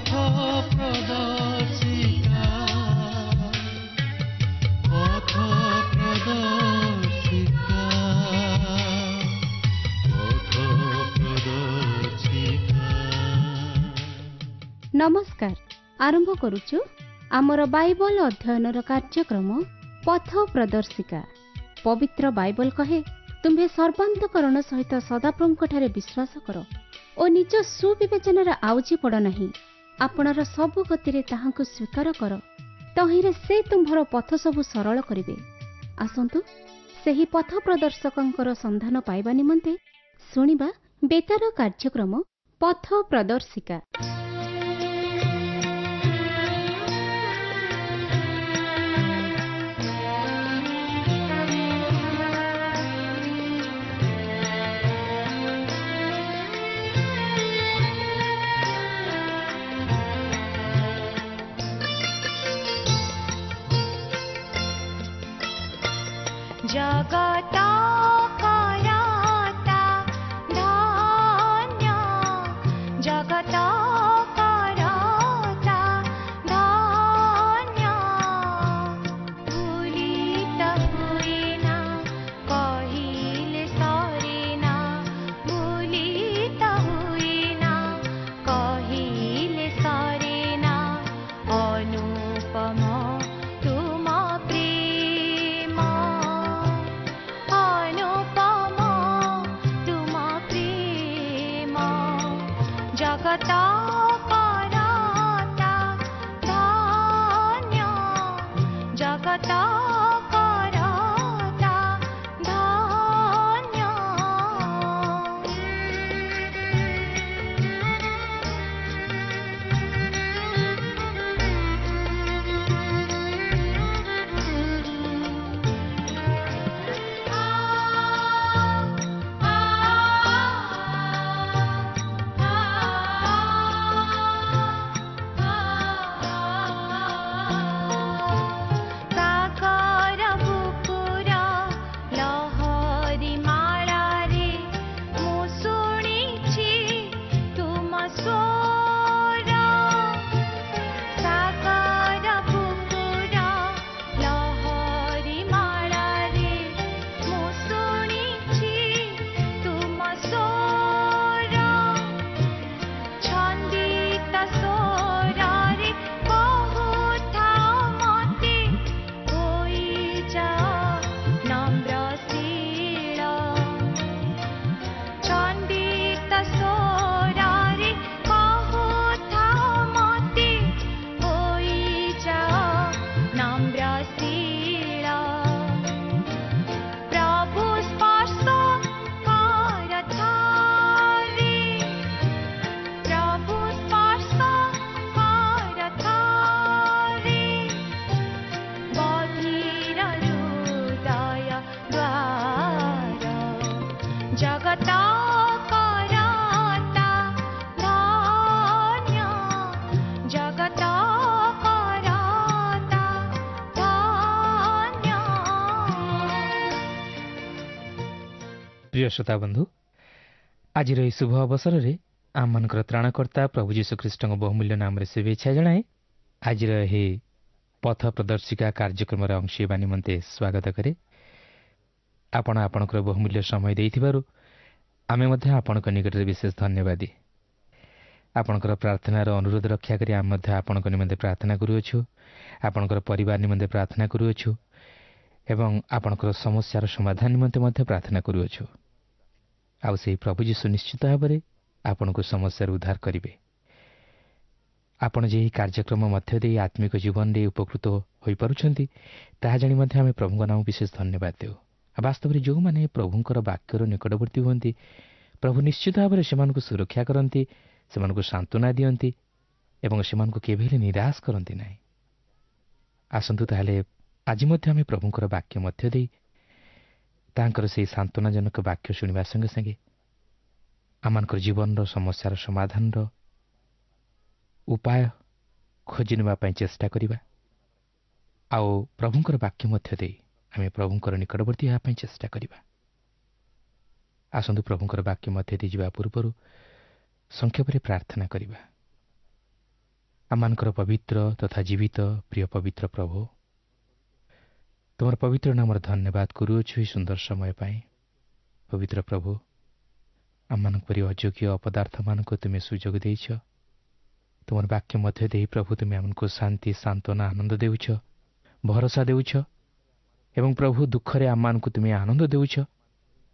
ପଥ ପ୍ରଦର୍ଶିକା, ପଥ ପ୍ରଦର୍ଶିକା, ପଥ ପ୍ରଦର୍ଶିକା। ନମସ୍କାର। ଆରମ୍ଭ କରୁଛୁ ଆମର ବାଇବଲ ଅଧ୍ୟୟନର କାର୍ଯ୍ୟକ୍ରମ ପଥ ପ୍ରଦର୍ଶିକା। ପବିତ୍ର ବାଇବଲ କହେ, ତୁମ୍ଭେ ସର୍ବାନ୍ତକରଣ ସହିତ ସଦାପ୍ରଭୁଙ୍କଠାରେ ବିଶ୍ୱାସ କର ଓ ନିଜ ସୁବିବେଚନାରେ ଆଉଜି ପଡ଼ ନାହିଁ। ଆପଣାର ସବୁ ଗତିରେ ତାହାଙ୍କୁ ସ୍ୱୀକାର କର, ତହିଁରେ ସେ ତୁମ୍ଭର ପଥ ସବୁ ସରଳ କରିବେ। ଆସନ୍ତୁ ସେହି ପଥ ପ୍ରଦର୍ଶକଙ୍କର ସନ୍ଧାନ ପାଇବା ନିମନ୍ତେ ଶୁଣିବା ବେତାର କାର୍ଯ୍ୟକ୍ରମ ପଥ ପ୍ରଦର୍ଶିକା। ଜଗତ କରତା ଧନ୍ୟ, ଜଗତ କରତା ଧନ୍ୟ, ଭୁଲିତ ହୁଏନା କହିଲେ ସରେନା, ଭୁଲିତ ହୁଏନା କହିଲେ ସରେନା, ଅନୁପମ ତୁମ ପ୍ରେମ, ଅନୁପମ ତୁମ ପ୍ରେମ। ଜଗତ କରତା ଧନ୍ୟ, ଜଗତ କରତା ଧନ୍ୟ। ସାଗର ବୁକୁର ଲହରୀ ମାଳାରେ ମୁଁ ଶୁଣିଛି ତୁମ ସ୍ୱର, ସାଗର ବୁକୁର ଲହରୀ ମାଳାରେ ମୁଁ ଶୁଣିଛି ତୁମ ସ୍ୱର, ଛନ୍ଦିତ ସ୍ୱରରେ କହୁଥାଅ ମତେ ହୋଇଯାଅ ନମ୍ରଶୀଳ, ଛନ୍ଦିତ ସ୍ୱରରେ କହୁଥାଅ ମତେ ହୋଇଯାଅ ନମ୍ରଶୀଳ। ପ୍ରଭୁ ସ୍ପର୍ଶ କର ଥରେ, ପ୍ରଭୁ ସ୍ପର୍ଶ କର ଥରେ, ବଧିର ହୃଦୟ ଦ୍ୱାର। ଜଗତ କରତା ଧନ୍ୟ, ଜଗତ କରତା ଧନ୍ୟ। ପ୍ରିୟ ଶ୍ରୋତା ବନ୍ଧୁ, ଆଜିର ଏହି ଶୁଭ ଅବସରରେ ଆମମାନଙ୍କର ତ୍ରାଣକର୍ତ୍ତା ପ୍ରଭୁ ଯୀଶୁଖ୍ରୀଷ୍ଟଙ୍କ ବହୁମୂଲ୍ୟ ନାମରେ ଶୁଭେଚ୍ଛା ଜଣାଏ ଆଜିର ଏହି ପଥ ପ୍ରଦର୍ଶିକା କାର୍ଯ୍ୟକ୍ରମର ଅଂଶ ହେବା ନିମନ୍ତେ ସ୍ୱାଗତ କରେ। ଆପଣ ଆପଣଙ୍କର ବହୁମୂଲ୍ୟ ସମୟ ଦେଇଥିବାରୁ ଆମେ ମଧ୍ୟ ଆପଣଙ୍କ ନିକଟରେ ବିଶେଷ ଧନ୍ୟବାଦୀ। ଆପଣଙ୍କର ପ୍ରାର୍ଥନାର ଅନୁରୋଧ ରକ୍ଷା କରି ଆମେ ମଧ୍ୟ ଆପଣଙ୍କ ନିମନ୍ତେ ପ୍ରାର୍ଥନା କରୁଅଛୁ, ଆପଣଙ୍କର ପରିବାର ନିମନ୍ତେ ପ୍ରାର୍ଥନା କରୁଅଛୁ ଏବଂ ଆପଣଙ୍କର ସମସ୍ୟାର ସମାଧାନ ନିମନ୍ତେ ମଧ୍ୟ ପ୍ରାର୍ଥନା କରୁଅଛୁ। ଆଉ ସେହି ପ୍ରଭୁ ଯୀଶୁ ନିଶ୍ଚିତ ଭାବରେ ଆପଣଙ୍କୁ ସମସ୍ୟାରୁ ଉଦ୍ଧାର କରିବେ। ଆପଣ ଯେ ଏହି କାର୍ଯ୍ୟକ୍ରମ ମଧ୍ୟ ଦେଇ ଆତ୍ମିକ ଜୀବନରେ ଉପକୃତ ହୋଇପାରୁଛନ୍ତି, ତାହା ଜାଣି ମଧ୍ୟ ଆମେ ପ୍ରଭୁଙ୍କ ନାମ ବିଶେଷ ଧନ୍ୟବାଦ ଦେଉ। ଆଉ ବାସ୍ତବରେ ଯେଉଁମାନେ ପ୍ରଭୁଙ୍କର ବାକ୍ୟର ନିକଟବର୍ତ୍ତୀ ହୁଅନ୍ତି, ପ୍ରଭୁ ନିଶ୍ଚିତ ଭାବରେ ସେମାନଙ୍କୁ ସୁରକ୍ଷା କରନ୍ତି, ସେମାନଙ୍କୁ ସାନ୍ତ୍ୱନା ଦିଅନ୍ତି ଏବଂ ସେମାନଙ୍କୁ କେବେ ହେଲେ ନିରାଶ କରନ୍ତି ନାହିଁ। ଆସନ୍ତୁ ତାହେଲେ ଆଜି ମଧ୍ୟ ଆମେ ପ୍ରଭୁଙ୍କର ବାକ୍ୟ ମଧ୍ୟ ଦେଇ ତାଙ୍କର ସେହି ସାନ୍ତ୍ୱନାଜନକ ବାକ୍ୟ ଶୁଣିବା ସଙ୍ଗେ ସଙ୍ଗେ ଆମମାନଙ୍କର ଜୀବନର ସମସ୍ୟାର ସମାଧାନର ଉପାୟ ଖୋଜି ନେବା ପାଇଁ ଚେଷ୍ଟା କରିବା ଆଉ ପ୍ରଭୁଙ୍କର ବାକ୍ୟ ମଧ୍ୟ ଦେଇ ଆମେ ପ୍ରଭୁଙ୍କର ନିକଟବର୍ତ୍ତୀ ହେବା ପାଇଁ ଚେଷ୍ଟା କରିବା। ଆସନ୍ତୁ ପ୍ରଭୁଙ୍କର ବାକ୍ୟ ମଧ୍ୟ ଦେଇ ଯିବା ପୂର୍ବରୁ ସଂକ୍ଷେପରେ ପ୍ରାର୍ଥନା କରିବା। ଆମମାନଙ୍କର ପବିତ୍ର ତଥା ଜୀବିତ ପ୍ରିୟ ପବିତ୍ର ପ୍ରଭୁ, ତୁମର ପବିତ୍ର ନାମର ଧନ୍ୟବାଦ କରୁଅଛୁ ଏହି ସୁନ୍ଦର ସମୟ ପାଇଁ। ପବିତ୍ର ପ୍ରଭୁ, ଆମମାନଙ୍କ ପରି ଅଯୋଗ୍ୟ ଅପଦାର୍ଥମାନଙ୍କୁ ତୁମେ ସୁଯୋଗ ଦେଇଛ। ତୁମର ବାକ୍ୟ ମଧ୍ୟ ଦେଇ ପ୍ରଭୁ ତୁମେ ଆମକୁ ଶାନ୍ତି, ସାନ୍ତ୍ୱନା, ଆନନ୍ଦ ଦେଉଛ, ଭରସା ଦେଉଛ ଏବଂ ପ୍ରଭୁ ଦୁଃଖରେ ଆମମାନଙ୍କୁ ତୁମେ ଆନନ୍ଦ ଦେଉଛ।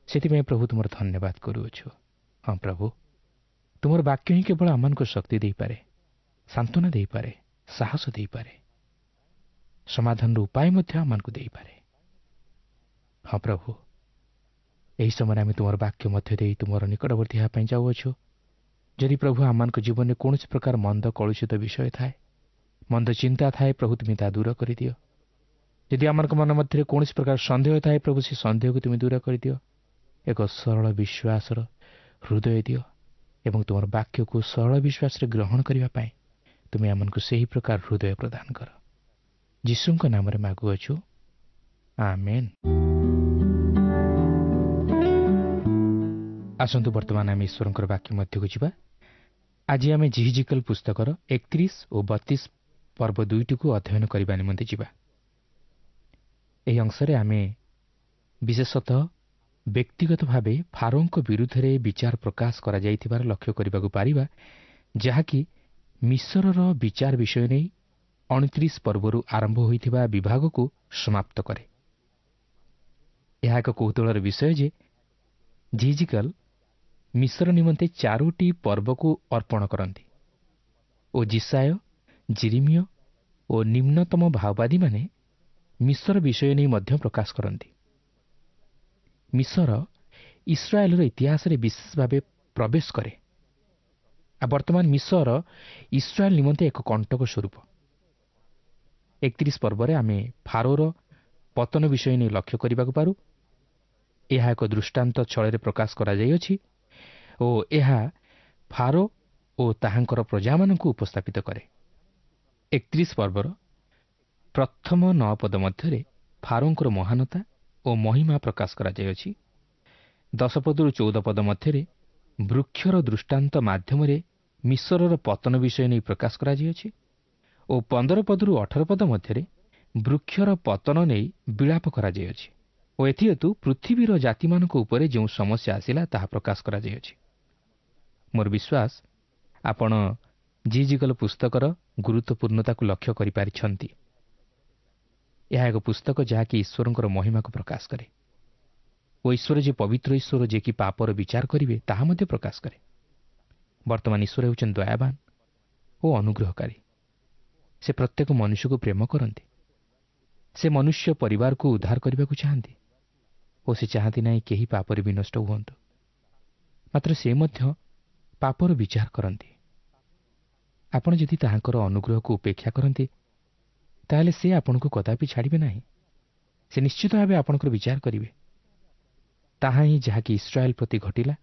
ସେଥିପାଇଁ ପ୍ରଭୁ ତୁମର ଧନ୍ୟବାଦ କରୁଅଛୁ। ହଁ ପ୍ରଭୁ, ତୁମର ବାକ୍ୟ ହିଁ କେବଳ ଆମମାନଙ୍କୁ ଶକ୍ତି ଦେଇପାରେ, ସାନ୍ତ୍ୱନା ଦେଇପାରେ, ସାହସ ଦେଇପାରେ, ସମାଧାନର ଉପାୟ ମଧ୍ୟ ଆମମାନଙ୍କୁ ଦେଇପାରେ। ହଁ ପ୍ରଭୁ, ଏହି ସମୟରେ ଆମେ ତୁମର ବାକ୍ୟ ମଧ୍ୟ ଦେଇ ତୁମର ନିକଟବର୍ତ୍ତୀ ହେବା ପାଇଁ ଯାଉଅଛୁ। ଯଦି ପ୍ରଭୁ ଆମମାନଙ୍କ ଜୀବନରେ କୌଣସି ପ୍ରକାର ମନ୍ଦ କଳୁଷିତ ବିଷୟ ଥାଏ, ମନ୍ଦ ଚିନ୍ତା ଥାଏ, ପ୍ରଭୁ ତୁମେ ତାହା ଦୂର କରିଦିଅ। ଯଦି ଆମମାନଙ୍କ ମନ ମଧ୍ୟରେ କୌଣସି ପ୍ରକାର ସନ୍ଦେହ ଥାଏ, ପ୍ରଭୁ ସେ ସନ୍ଦେହକୁ ତୁମେ ଦୂର କରିଦିଅ। ଏକ ସରଳ ବିଶ୍ୱାସର ହୃଦୟ ଦିଅ ଏବଂ ତୁମର ବାକ୍ୟକୁ ସରଳ ବିଶ୍ୱାସରେ ଗ୍ରହଣ କରିବା ପାଇଁ ତୁମେ ଆମମାନଙ୍କୁ ସେହି ପ୍ରକାର ହୃଦୟ ପ୍ରଦାନ କର। ଯୀଶୁଙ୍କ ନାମରେ ମାଗୁଅଛୁ, ଆମେନ୍। ଆସନ୍ତୁ ବର୍ତ୍ତମାନ ଆମେ ଈଶ୍ୱରଙ୍କର ବାକ୍ୟ ମଧ୍ୟକୁ ଯିବା। ଆଜି ଆମେ ଯିହିଜିକଲ ପୁସ୍ତକର 31 ଓ 32 ପର୍ବ ଦୁଇଟିକୁ ଅଧ୍ୟୟନ କରିବା ନିମନ୍ତେ ଯିବା। ଏହି ଅଂଶରେ ଆମେ ବିଶେଷତଃ ବ୍ୟକ୍ତିଗତ ଭାବେ ଫାରୋଙ୍କ ବିରୁଦ୍ଧରେ ବିଚାର ପ୍ରକାଶ କରାଯାଇଥିବାର ଲକ୍ଷ୍ୟ କରିବାକୁ ପାରିବା, ଯାହାକି ମିଶରର ବିଚାର ବିଷୟ ନେଇ 29 ପର୍ବରୁ ଆରମ୍ଭ ହୋଇଥିବା ବିଭାଗକୁ ସମାପ୍ତ କରେ। ଏହା ଏକ କୌତୂହଳର ବିଷୟ ଯେ ଯିହିଜିକଲ ମିଶର ନିମନ୍ତେ 4ଟି ପର୍ବକୁ ଅର୍ପଣ କରନ୍ତି ଓ ଯିଶାଇୟ, ଯିରିମିୟ ଓ ନିମ୍ନତମ ଭାଓବାଦୀମାନେ ମିଶର ବିଷୟ ନେଇ ମଧ୍ୟ ପ୍ରକାଶ କରନ୍ତି। ମିଶର ଇସ୍ରାଏଲର ଇତିହାସରେ ବିଶେଷ ଭାବେ ପ୍ରବେଶ କରେ। ଆଉ ବର୍ତ୍ତମାନ ମିଶର ଇସ୍ରାଏଲ ନିମନ୍ତେ ଏକ କଣ୍ଟକ ସ୍ୱରୂପ। 31 ପର୍ବରେ ଆମେ ଫାରୋର ପତନ ବିଷୟ ନେଇ ଲକ୍ଷ୍ୟ କରିବାକୁ ପାରୁ। ଏହା ଏକ ଦୃଷ୍ଟାନ୍ତ ଛଳରେ ପ୍ରକାଶ କରାଯାଇଅଛି ଓ ଏହା ଫାରୋ ଓ ତାହାଙ୍କର ପ୍ରଜାମାନଙ୍କୁ ଉପସ୍ଥାପିତ କରେ। 31 ପର୍ବର ପ୍ରଥମ 9 ପଦ ମଧ୍ୟରେ ଫାରୋଙ୍କର ମହାନତା ଓ ମହିମା ପ୍ରକାଶ କରାଯାଇଅଛି। 10 ପଦରୁ 14 ପଦ ମଧ୍ୟରେ ବୃକ୍ଷର ଦୃଷ୍ଟାନ୍ତ ମାଧ୍ୟମରେ ମିଶରର ପତନ ବିଷୟ ନେଇ ପ୍ରକାଶ କରାଯାଇଅଛି ଓ 15 ପଦରୁ 18 ପଦ ମଧ୍ୟରେ ବୃକ୍ଷର ପତନ ନେଇ ବିଳାପ କରାଯାଇଅଛି ଓ ଏଥିହେତୁ ପୃଥିବୀର ଜାତିମାନଙ୍କ ଉପରେ ଯେଉଁ ସମସ୍ୟା ଆସିଲା ତାହା ପ୍ରକାଶ କରାଯାଇଅଛି। ମୋର ବିଶ୍ୱାସ ଆପଣ ଯିହିଜିକଲ ପୁସ୍ତକର ଗୁରୁତ୍ୱପୂର୍ଣ୍ଣତାକୁ ଲକ୍ଷ୍ୟ କରିପାରିଛନ୍ତି। ଏହା ଏକ ପୁସ୍ତକ ଯାହାକି ଈଶ୍ୱରଙ୍କର ମହିମାକୁ ପ୍ରକାଶ କରେ ଓ ଈଶ୍ୱର ଯେ ପବିତ୍ର ଈଶ୍ୱର, ଯିଏକି ପାପର ବିଚାର କରିବେ, ତାହା ମଧ୍ୟ ପ୍ରକାଶ କରେ। ବର୍ତ୍ତମାନ ଈଶ୍ୱର ହେଉଛନ୍ତି ଦୟାବାନ ଓ ଅନୁଗ୍ରହକାରୀ। ସେ ପ୍ରତ୍ୟେକ ମନୁଷ୍ୟକୁ ପ୍ରେମ କରନ୍ତି। ସେ ମନୁଷ୍ୟ ପରିବାରକୁ ଉଦ୍ଧାର କରିବାକୁ ଚାହାନ୍ତି ଓ ସେ ଚାହାନ୍ତି ନାହିଁ କେହି ପାପରେ ବିନଷ୍ଟ ହୁଅନ୍ତୁ। ମାତ୍ର ସେ ମଧ୍ୟ ପାପର ବିଚାର କରନ୍ତି। ଆପଣ ଯଦି ତାହାଙ୍କର ଅନୁଗ୍ରହକୁ ଉପେକ୍ଷା କରନ୍ତି, ତାହେଲେ ସେ ଆପଣଙ୍କୁ କଦାପି ଛାଡ଼ିବେ ନାହିଁ। ସେ ନିଶ୍ଚିତ ଭାବେ ଆପଣଙ୍କର ବିଚାର କରିବେ। ତାହା ହିଁ ଯାହାକି ଇସ୍ରାଏଲ ପ୍ରତି ଘଟିଲା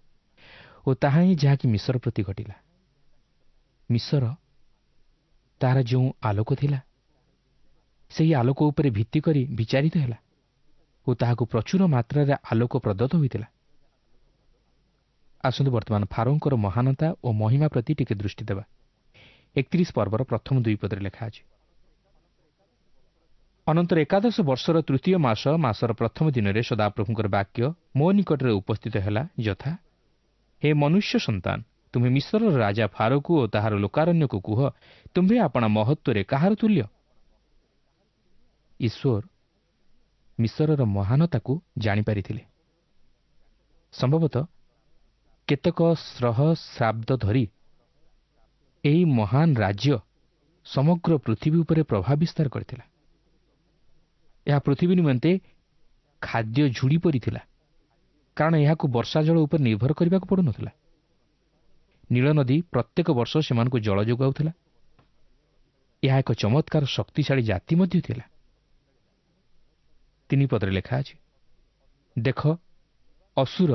ଓ ତାହା ହିଁ ଯାହାକି ମିଶର ପ୍ରତି ଘଟିଲା। ମିଶର ତାହାର ଯେଉଁ ଆଲୋକ ଥିଲା, ସେହି ଆଲୋକ ଉପରେ ଭିତ୍ତି କରି ବିଚାରିତ ହେଲା ଓ ତାହାକୁ ପ୍ରଚୁର ମାତ୍ରାରେ ଆଲୋକ ପ୍ରଦତ୍ତ ହୋଇଥିଲା। ଆସନ୍ତୁ ବର୍ତ୍ତମାନ ଫାରୋଙ୍କର ମହାନତା ଓ ମହିମା ପ୍ରତି ଟିକେ ଦୃଷ୍ଟି ଦେବା। 31 ପର୍ବର ପ୍ରଥମ 2 ପଦରେ ଲେଖା ଅଛି, ଅନନ୍ତର 11 ବର୍ଷର ତୃତୀୟ ମାସ ମାସର ପ୍ରଥମ ଦିନରେ ସଦାପ୍ରଭୁଙ୍କର ବାକ୍ୟ ମୋ ନିକଟରେ ଉପସ୍ଥିତ ହେଲା, ଯଥା, ହେ ମନୁଷ୍ୟ ସନ୍ତାନ, ତୁମେ ମିଶରର ରାଜା ଫାରୋକୁ ଓ ତାହାର ଲୋକାରଣ୍ୟକୁ କୁହ, ତୁମ୍ଭେ ଆପଣା ମହତ୍ତ୍ୱରେ କାହାର ତୁଲ୍ୟ? ଈଶ୍ୱର ମିଶରର ମହାନତାକୁ ଜାଣିପାରିଥିଲେ। ସମ୍ଭବତଃ କେତେକ ସହସ୍ରାବ୍ଦ ଧରି ଏହି ମହାନ ରାଜ୍ୟ ସମଗ୍ର ପୃଥିବୀ ଉପରେ ପ୍ରଭାବ ବିସ୍ତାର କରିଥିଲା। ଏହା ପୃଥିବୀ ନିମନ୍ତେ ଖାଦ୍ୟ ଝୁଡ଼ି ପରି ଥିଲା, କାରଣ ଏହାକୁ ବର୍ଷା ଜଳ ଉପରେ ନିର୍ଭର କରିବାକୁ ପଡ଼ୁନଥିଲା। ନୀଳ ନଦୀ ପ୍ରତ୍ୟେକ ବର୍ଷ ସେମାନଙ୍କୁ ଜଳ ଯୋଗାଉଥିଲା। ଏହା ଏକ ଚମତ୍କାର ଶକ୍ତିଶାଳୀ ଜାତି ମଧ୍ୟ ଥିଲା। 3 ପଦରେ ଲେଖା ଅଛି, ଦେଖ, ଅସୁର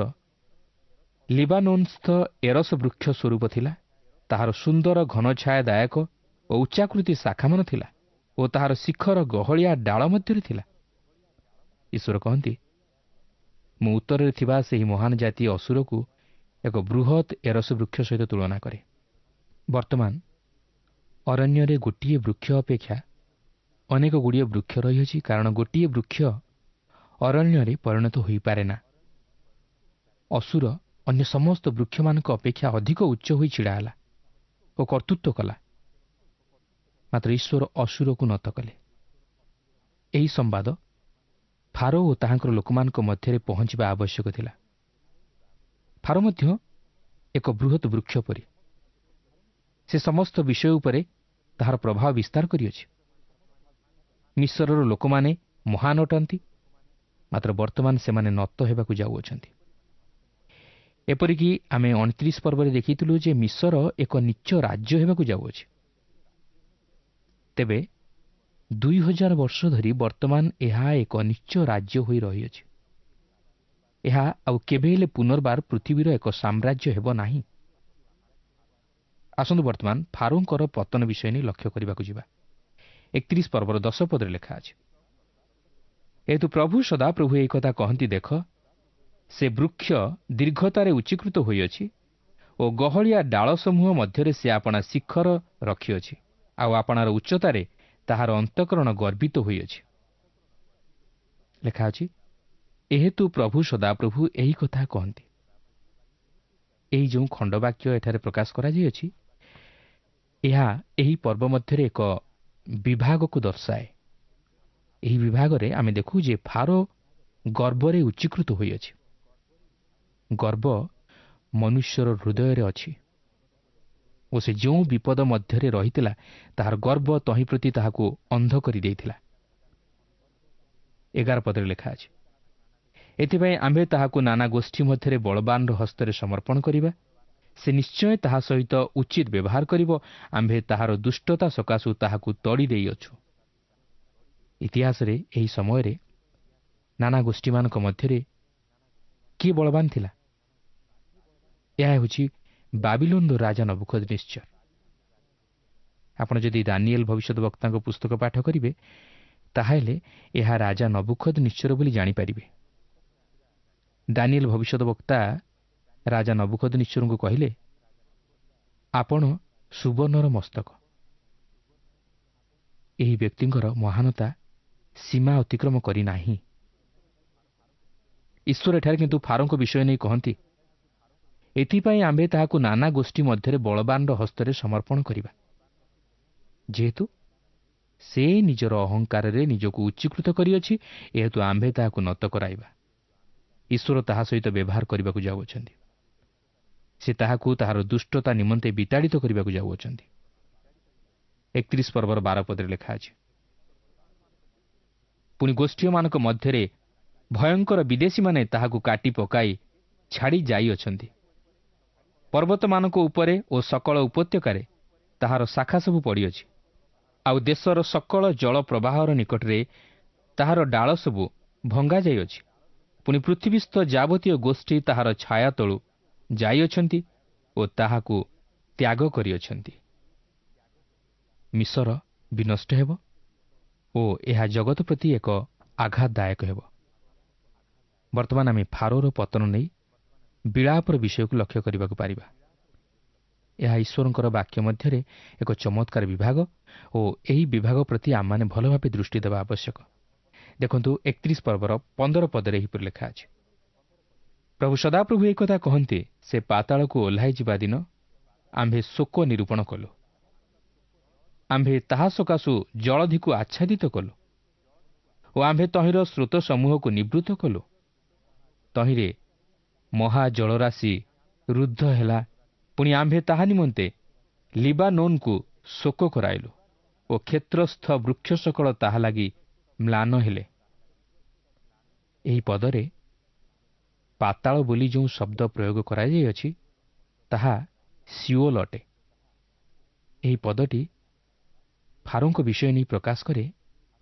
ଲିବାନୋନ୍ସ୍ଥ ଏରସ ବୃକ୍ଷ ସ୍ୱରୂପ ଥିଲା, ତାହାର ସୁନ୍ଦର ଘନଛାୟାଦାୟକ ଓ ଉଚ୍ଚାକୃତି ଶାଖାମାନ ଥିଲା ଓ ତାହାର ଶିଖର ଗହଳିଆ ଡାଳ ମଧ୍ୟରେ ଥିଲା। ଈଶ୍ୱର କହନ୍ତି, ମୁଁ ଉତ୍ତରରେ ଥିବା ସେହି ମହାନ ଜାତି ଅସୁରକୁ ଏକ ବୃହତ୍ ଏରସ ବୃକ୍ଷ ସହିତ ତୁଳନା କରେ। ବର୍ତ୍ତମାନ ଅରଣ୍ୟରେ ଗୋଟିଏ ବୃକ୍ଷ ଅପେକ୍ଷା ଅନେକ ଗୁଡ଼ିଏ ବୃକ୍ଷ ରହିଅଛି, କାରଣ ଗୋଟିଏ ବୃକ୍ଷ ଅରଣ୍ୟରେ ପରିଣତ ହୋଇପାରେ ନା। ଅସୁର ଅନ୍ୟ ସମସ୍ତ ବୃକ୍ଷମାନଙ୍କ ଅପେକ୍ଷା ଅଧିକ ଉଚ୍ଚ ହୋଇ ଛିଡ଼ା ହେଲା ଓ କର୍ତ୍ତୃତ୍ୱ କଲା, ମାତ୍ର ଈଶ୍ୱର ଅସୁରକୁ ନତ କଲେ। ଏହି ସମ୍ବାଦ ଫାରୋ ଓ ତାହାଙ୍କର ଲୋକମାନଙ୍କ ମଧ୍ୟରେ ପହଞ୍ଚିବା ଆବଶ୍ୟକ ଥିଲା। ଫାରୋ ମଧ୍ୟ ଏକ ବୃହତ ବୃକ୍ଷ ପରି, ସେ ସମସ୍ତ ବିଷୟ ଉପରେ ତାହାର ପ୍ରଭାବ ବିସ୍ତାର କରିଅଛି। ମିଶରର ଲୋକମାନେ ମହାନ ଅଟନ୍ତି, ମାତ୍ର ବର୍ତ୍ତମାନ ସେମାନେ ନତ ହେବାକୁ ଯାଉଅଛନ୍ତି। ଏପରିକି ଆମେ 29 ପର୍ବରେ ଦେଖିଥିଲୁ ଯେ ମିଶର ଏକ ନିଚ୍ଚ ରାଜ୍ୟ ହେବାକୁ ଯାଉଅଛି। ତେବେ 2000 ବର୍ଷ ଧରି ବର୍ତ୍ତମାନ ଏହା ଏକ ନିଚ୍ଚ ରାଜ୍ୟ ହୋଇ ରହିଅଛି। ଏହା ଆଉ କେବେ ହେଲେ ପୁନର୍ବାର ପୃଥିବୀର ଏକ ସାମ୍ରାଜ୍ୟ ହେବ ନାହିଁ। ଆସନ୍ତୁ ବର୍ତ୍ତମାନ ଫାରୋଙ୍କର ପତନ ବିଷୟ ନେଇ ଲକ୍ଷ୍ୟ କରିବାକୁ ଯିବା। 31 ପର୍ବର 10 ପଦରେ ଲେଖା ଅଛି, ଏହେତୁ ପ୍ରଭୁ ସଦାପ୍ରଭୁ ଏହି କଥା କହନ୍ତି, ଦେଖ, ସେ ବୃକ୍ଷ ଦୀର୍ଘତାରେ ଉଚ୍ଚୀକୃତ ହୋଇଅଛି ଓ ଗହଳିଆ ଡାଳ ସମୂହ ମଧ୍ୟରେ ସେ ଆପଣା ଶିଖର ରଖିଅଛି, ଆଉ ଆପଣାର ଉଚ୍ଚତାରେ ତାହାର ଅନ୍ତଃକରଣ ଗର୍ବିତ ହୋଇଅଛି। ଲେଖା ଅଛି, ଏହେତୁ ପ୍ରଭୁ ସଦାପ୍ରଭୁ ଏହି କଥା କହନ୍ତି। ଏହି ଯେଉଁ ଖଣ୍ଡବାକ୍ୟ ଏଠାରେ ପ୍ରକାଶ କରାଯାଇଅଛି, ଏହା ଏହି ପର୍ବ ମଧ୍ୟରେ ଏକ ବିଭାଗକୁ ଦର୍ଶାଏ। ଏହି ବିଭାଗରେ ଆମେ ଦେଖୁ ଯେ ଫାରୋ ଗର୍ବରେ ଉଚ୍ଚୀକୃତ ହୋଇଅଛି। ଗର୍ବ ମନୁଷ୍ୟର ହୃଦୟରେ ଅଛି ଓ ସେ ଯେଉଁ ବିପଦ ମଧ୍ୟରେ ରହିଥିଲା ତାହାର ଗର୍ବ ତହିଁ ପ୍ରତି ତାହାକୁ ଅନ୍ଧ କରିଦେଇଥିଲା। 11 ପଦରେ ଲେଖା ଅଛି, ଏଥିପାଇଁ ଆମ୍ଭେ ତାହାକୁ ନାନା ଗୋଷ୍ଠୀ ମଧ୍ୟରେ ବଳବାନର ହସ୍ତରେ ସମର୍ପଣ କରିବା, ସେ ନିଶ୍ଚୟ ତାହା ସହିତ ଉଚିତ ବ୍ୟବହାର କରିବ, ଆମ୍ଭେ ତାହାର ଦୁଷ୍ଟତା ସକାଶୁ ତାହାକୁ ତଡ଼ି ଦେଇଅଛୁ। ଇତିହାସରେ ଏହି ସମୟରେ ନାନା ଗୋଷ୍ଠୀମାନଙ୍କ ମଧ୍ୟରେ କିଏ ବଳବାନ ଥିଲା? ଏହା ହେଉଛି ବାବିଲୋନର ରାଜା ନବୁଖଦନିତ୍ସର। ଆପଣ ଯଦି ଦାନିଏଲ ଭବିଷ୍ୟତ ବକ୍ତାଙ୍କ ପୁସ୍ତକ ପାଠ କରିବେ, ତାହେଲେ ଏହା ରାଜା ନବୁଖଦନିତ୍ସର ବୋଲି ଜାଣିପାରିବେ। ଦାନିଏଲ ଭବିଷ୍ୟତ ବକ୍ତା ରାଜା ନବୁଖଦନିତ୍ସରଙ୍କୁ କହିଲେ, ଆପଣ ସୁବର୍ଣ୍ଣର ମସ୍ତକ। ଏହି ବ୍ୟକ୍ତିଙ୍କର ମହାନତା ସୀମା ଅତିକ୍ରମ କରିନାହିଁ। ଈଶ୍ୱର ଏଠାରେ କିନ୍ତୁ ଫାରୋଙ୍କ ବିଷୟ ନେଇ କହନ୍ତି, ଏଥିପାଇଁ ଆମ୍ଭେ ତାହାକୁ ନାନା ଗୋଷ୍ଠୀ ମଧ୍ୟରେ ବଳବାନର ହସ୍ତରେ ସମର୍ପଣ କରିବା, ଯେହେତୁ ସେ ନିଜର ଅହଙ୍କାରରେ ନିଜକୁ ଉଚ୍ଚୀକୃତ କରିଅଛି, ଏହେତୁ ଆମ୍ଭେ ତାହାକୁ ନତ କରାଇବା। ଈଶ୍ୱର ତାହା ସହିତ ବ୍ୟବହାର କରିବାକୁ ଯାଉଅଛନ୍ତି। ସେ ତାହାକୁ ତାହାର ଦୁଷ୍ଟତା ନିମନ୍ତେ ବିତାଡ଼ିତ କରିବାକୁ ଯାଉଅଛନ୍ତି। 31 ପର୍ବର 12 ପଦରେ ଲେଖା ଅଛି, ପୁଣି ଗୋଷ୍ଠୀୟମାନଙ୍କ ମଧ୍ୟରେ ଭୟଙ୍କର ବିଦେଶୀମାନେ ତାହାକୁ କାଟି ପକାଇ ଛାଡ଼ି ଯାଇଅଛନ୍ତି। ପର୍ବତମାନଙ୍କ ଉପରେ ଓ ସକଳ ଉପତ୍ୟକାରେ ତାହାର ଶାଖା ସବୁ ପଡ଼ିଅଛି, ଆଉ ଦେଶର ସକଳ ଜଳ ପ୍ରବାହର ନିକଟରେ ତାହାର ଡାଳ ସବୁ ଭଙ୍ଗା ଯାଇଅଛି। ପୁଣି ପୃଥିବୀସ୍ଥ ଯାବତୀୟ ଗୋଷ୍ଠୀ ତାହାର ଛାୟା ତଳୁ ଯାଇଅଛନ୍ତି ଓ ତାହାକୁ ତ୍ୟାଗ କରିଅଛନ୍ତି। ମିଶର ବିନଷ୍ଟ ହେବ ଓ ଏହା ଜଗତ ପ୍ରତି ଏକ ଆଘାତଦାୟକ ହେବ। ବର୍ତ୍ତମାନ ଆମେ ଫାରୋର ପତନ ନେଇ ବିଳାପର ବିଷୟକୁ ଲକ୍ଷ୍ୟ କରିବାକୁ ପାରିବା। ଏହା ଈଶ୍ୱରଙ୍କର ବାକ୍ୟ ମଧ୍ୟରେ ଏକ ଚମତ୍କାର ବିଭାଗ ଓ ଏହି ବିଭାଗ ପ୍ରତି ଆମମାନେ ଭଲ ଭାବେ ଦୃଷ୍ଟି ଦେବା ଆବଶ୍ୟକ। ଦେଖନ୍ତୁ 31 ପର୍ବର 15 ପଦରେ ଏହିପରି ଲେଖା ଅଛି, ପ୍ରଭୁ ସଦାପ୍ରଭୁ ଏହି କଥା କହନ୍ତି, ସେ ପାତାଳକୁ ଓହ୍ଲାଇ ଯିବା ଦିନ ଆମ୍ଭେ ଶୋକ ନିରୂପଣ କଲୁ, ଆମ୍ଭେ ତାହା ସକାଶୁ ଜଳଧିକୁ ଆଚ୍ଛାଦିତ କଲୁ ଓ ଆମ୍ଭେ ତହିଁର ସ୍ରୋତ ସମୂହକୁ ନିବୃତ୍ତ କଲୁ। ତହିଁରେ ମହାଜଳରାଶି ରୁଦ୍ଧ ହେଲା, ପୁଣି ଆମ୍ଭେ ତାହା ନିମନ୍ତେ ଲିବାନୋନ୍କୁ ଶୋକ କରାଇଲୁ ଓ କ୍ଷେତ୍ରସ୍ଥ ବୃକ୍ଷ ସକଳ ତାହା ଲାଗି ମ୍ଲାନ ହେଲେ। ଏହି ପଦରେ ପାତାଳ ବୋଲି ଯେଉଁ ଶବ୍ଦ ପ୍ରୟୋଗ କରାଯାଇଅଛି ତାହା ସିଓଲ ଅଟେ। ଏହି ପଦଟି ଫାରୋଙ୍କ ବିଷୟ ନେଇ ପ୍ରକାଶ କରେ,